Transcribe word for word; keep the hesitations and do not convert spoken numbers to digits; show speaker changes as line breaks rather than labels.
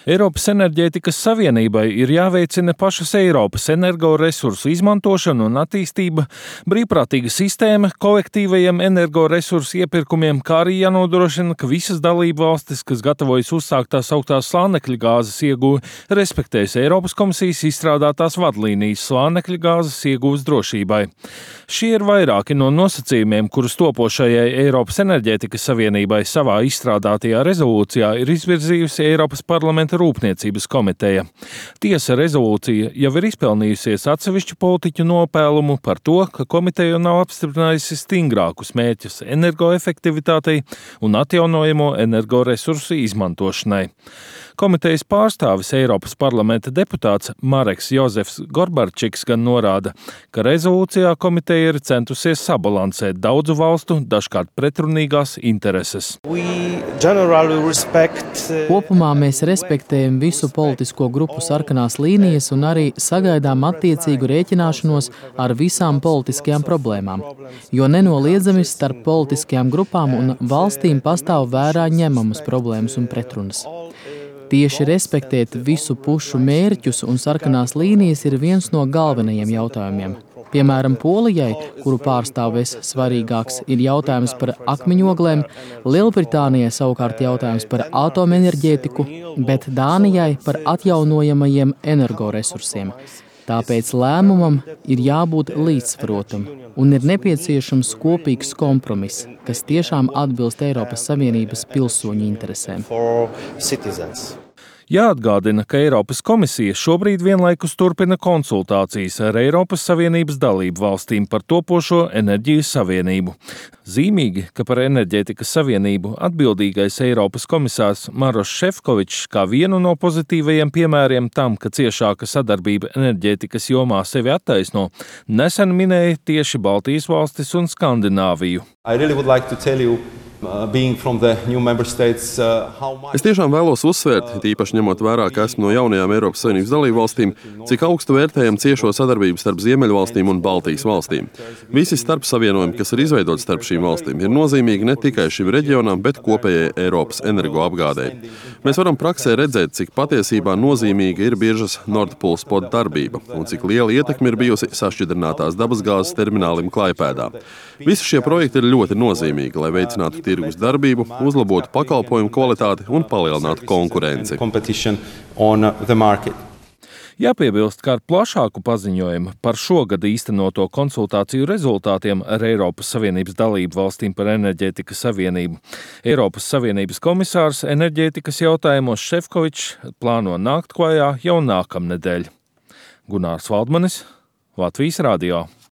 Eiropas enerģētikas savienībai ir jāveicina pašas Eiropas energoresursu izmantošana un attīstība, brīvprātīga sistēma kolektīvajiem energoresursu iepirkumiem, kā arī jānodrošina, ka visas dalību valstis, kas gatavojas uzsākt tās augtās slānekļa gāzes ieguvi, respektēs Eiropas komisijas izstrādātās vadlīnijas slānekļa gāzes ieguves drošībai. Šie ir vairāki no nosacījumiem, kurus topošajai Eiropas enerģētikas savienībai savā izstrādātajā rezolūcijā ir izvirzījusi Eiropas parlamenta Rūpniecības komiteja. Tiesa rezolūcija jau ir izpelnījusies atsevišķu politiķu nopēlumu par to, ka komiteja nav apstiprinājusi stingrākus mērķus energoefektivitātei un atjaunojamo energoresursu izmantošanai. Komitejas pārstāvis Eiropas parlamenta deputāts Mareks Jozefs Gorbarčiks gan norāda, ka rezolūcijā komiteja ir centusies sabalansēt daudzu valstu, dažkārt pretrunīgās intereses.
Kopumā mēs respektējam visu politisko grupu sarkanās līnijas un arī sagaidām attiecīgu rēķināšanos ar visām politiskajām problēmām, jo nenoliedzami starp politiskajām grupām un valstīm pastāv vērā ņemamas problēmas un pretrunas. Tieši respektēt visu pušu mērķus un sarkanās līnijas ir viens no galvenajiem jautājumiem. Piemēram, Polijai, kuru pārstāvēs svarīgāks, ir jautājums par akmeņoglēm, Lielbritānijai savukārt jautājums par atomenerģētiku, bet Dānijai par atjaunojamajiem energoresursiem. Tāpēc lēmumam ir jābūt līdzsvarotam un ir nepieciešams kopīgs kompromiss, kas tiešām atbilst Eiropas Savienības pilsoņu interesēm.
Jāatgādina, ka Eiropas komisija šobrīd vienlaikus turpina konsultācijas ar Eiropas Savienības dalību valstīm par topošo enerģijas savienību. Zīmīgi, ka par enerģētikas savienību atbildīgais Eiropas komisārs Maroš Šefčovičs kā vienu no pozitīvajiem piemēriem tam, ka ciešāka sadarbība enerģētikas jomā sevi attaisno, nesen minēja tieši Baltijas valstis un Skandināviju.
Es tiešām vēlos uzsvērt, tīpaši ņemot vērā, ka esmu no jaunajām Eiropas Savienības dalībvalstīm, cik augstu vērtējam ciešo sadarbību starp Ziemeļvalstīm un Baltijas valstīm. Visi starpsavienojumi, kas ir izveidoti starp šīm valstīm, ir nozīmīgi ne tikai šim reģionam, bet kopējai Eiropas energoapgādei. Mēs varam praksē redzēt, cik patiesībā nozīmīga ir biržas Nord Pool Spot darbība un cik liela ietekme ir bijusi sašķidrinātās dabasgāzes terminālim Klaipēdā. Visi šie projekti ir ļoti nozīmīgi, lai veicinātu tirgus darbību, uzlabotu pakalpojumu kvalitāti un palielinātu konkurenci.
Jāpiebilst, ka ar plašāku paziņojumu par šogad īstenoto konsultāciju rezultātiem ar Eiropas Savienības dalību valstīm par enerģētikas savienību Eiropas Savienības komisārs enerģētikas jautājumos Šefčovičs plāno nākt klajā jau nākamnedēļ. Gunārs Valdmanis, Latvijas radio.